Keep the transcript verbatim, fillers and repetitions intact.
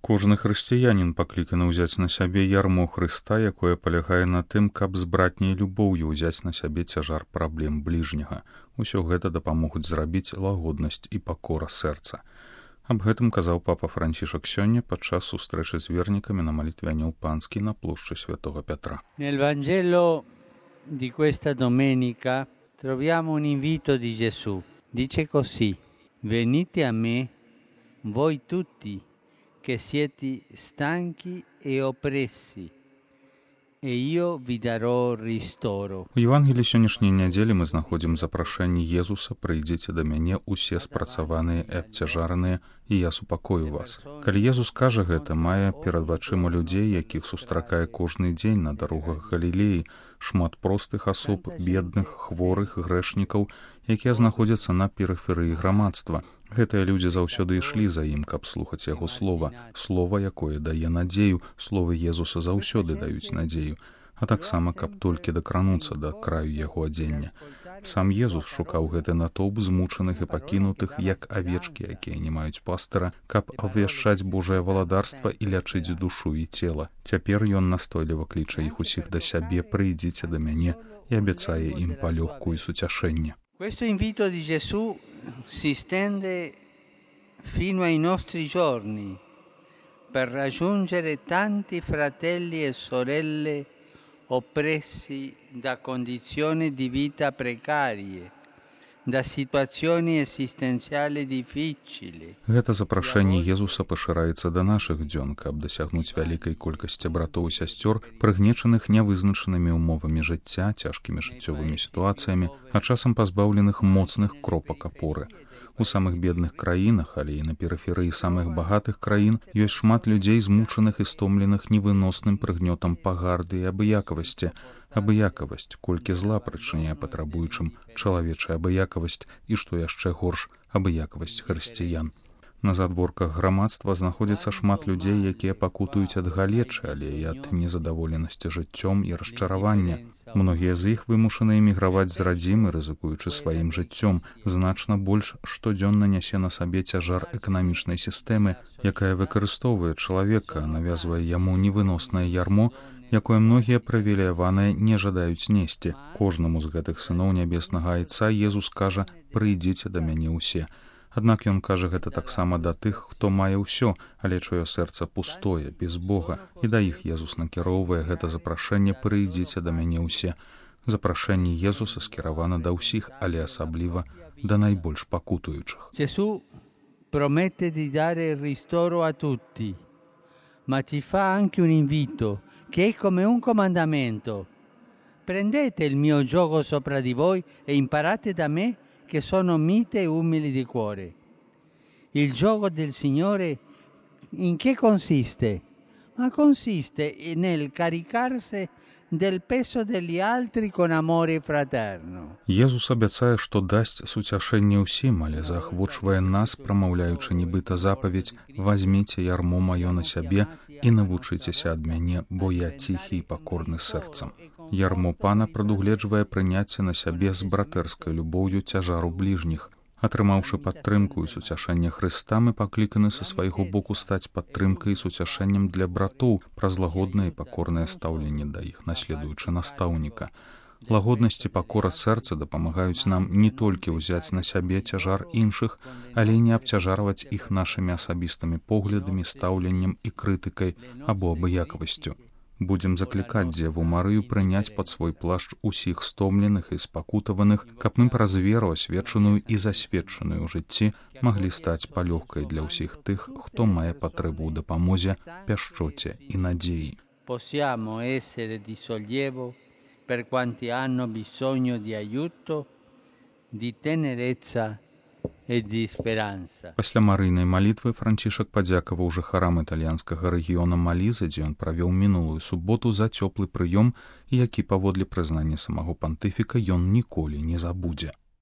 Кожны хрысціянін пакліканы ўзяць на сябе ярмо Хрыста, якое палягае на тым, каб з братняй любоўю ўзяць на сябе цяжар праблем бліжняга. Усё гэта дапамогуць зрабіць лагоднасць і пакора сэрца. Аб гэтым казаў папа Францішак сёння падчас сустрэчы з вернікамі на малітве Анёл Панскі на плошчы Святого Пятра. Nel Vangelo di questa domenica troviamo un invito di Gesù. Dice così: venite a me, voi tutti che siete stanchi e oppressi, e io vi darò ristoro. У Евангеліі сённяшняй нядзелі мы знаходзім запрашэнне Езуса: «Прыйдзіце да мяне усе спрацаваныя і абцяжараныя, і я супакою вас». Калі Езус кажа гэта, мае перад вачыма людзей, якіх сустракае кожны дзень на дарогах Галілеі, шмат простых асоб, бедных, хворых, грэшнікаў, якія знаходзяцца на перыферыі грамадства. Гэтыя людзі заўсёды ішлі за ім, каб слухаць яго слова, слова, якое дае надзею. Словы Езуса заўсёды даюць надзею, а таксама, каб толькі дакрануцца да краю яго адзення. Сам Езус шукаў гэты натоўп змучаных і пакінутых, як авечкі, якія не маюць пастыра, каб абвяшчаць Божае валадарства і лячыць душу і цела. Цяпер ён настойліва кліча іх усіх да сябе: «Прыйдзіце да мяне», і абяцае ім палёгку і суцяшэнне. Questo invito di Gesù si stende fino ai nostri giorni per raggiungere tanti fratelli e sorelle oppressi da condizioni di vita precarie, da situazioni esistenziali difficili. Гэта запрашэнне Езуса пашыраецца да нашых дзён, каб дасягнуць вялікай колькасці братоў і сясцёр, прыгнечаных нявызначанымі ўмовамі жыцця, цяжкімі жыццёвымі сітуацыямі, а часам пазбаўленых моцных кропак апоры. У самых бедных краінах, але і на перыферыі самых багатых краін ёсць шмат людзей, змучаных і стомленых невыносным прыгнётам пагарды і абыякавасці. Абыякавасць, колькі зла прычыняе патрабуючым чалавечая абыякавасць і, што яшчэ горш, абыякавасць хрысціян. На задворках грамадства знаходзіцца шмат людзей, якія пакутуюць ад галечы, але і ад незадаволенасці жыццём і расчаравання. Многія з іх вымушаны эміграваць з радзімы, рызыкуючы сваім жыццём. Значна больш штодзённа нясе на сабе цяжар эканамічнай сістэмы, якая выкарыстоўвае чалавека, навязвае яму невыноснае ярмо, якое многія прывілеяваныя не жадаюць несці. Кожнаму з гэтых сыноў нябеснага Айца Езус кажа: «Прыйдзіце да мяне ўсе». Аднак ён кажа гэта таксама да тых, хто мае ўсё, але чуе сэрца пустое, без Бога, і да іх Езус накіроўвае гэта запрашэнне: «Прыйдзіце да мяне ўсе». Запрашэнне Езуса скіравана да ўсіх, але асабліва да найбольш пакутуючых. Gesù promette di dare ristoro a tutti, ma ci fa anche un invito che è come un comandamento: prendete il mio giogo sopra di voi e imparate da me, che sono mite e umili di cuore. Il giogo del Signore in che consiste? Ma consiste nel caricarsi del peso degli altri con amore fraterno. Езус абяцае, што дасць суцяшэнне ўсім, але заахвочвае нас, прамаўляючы нібыта запаведь: «Вазьміце ярмо маё на сябе і навучыцеся ад мяне, бо я ціхі і пакорны сэрцам». Ярмо Пана прадугледжвае прыняцце на сябе з братэрскай любоўю цяжару бліжніх. Атрымаўшы падтрымку і суцяшэнне Хрыста, мы пакліканы са свайго боку стаць падтрымкай і суцяшэннем для братоў праз лагоднае і пакорнае стаўленне да іх, наследуючы настаўніка. Лагоднасць і пакора сэрца дапамагаюць нам не толькі ўзяць на сябе цяжар іншых, але і не абцяжарваць іх нашымі асабістымі поглядамі, стаўленнем і крытыкай або абыякавасцю. Будзем заклікаць Дзеву Марыю прыняць пад свой плашч усіх стомленых і спакутаваных, каб мы праз веру, асвечаную і засведчаную ў жыцці, маглі стаць палёгкай для ўсіх тых, хто мае патрэбу ў дапамозе, пяшчоце і надзеі. Possiamo essere di sollievo per quanti hanno bisogno di aiuto, di tenerezza e di speranza. Пасля марыйнай малітвы Францішак падзякаваў жыхарам італьянскага рэгіёна Малізы, дзе ён правёў мінулую суботу, за цёплы прыём, які, паводле прызнання самого пантыфіка, ён ніколі не забудзе.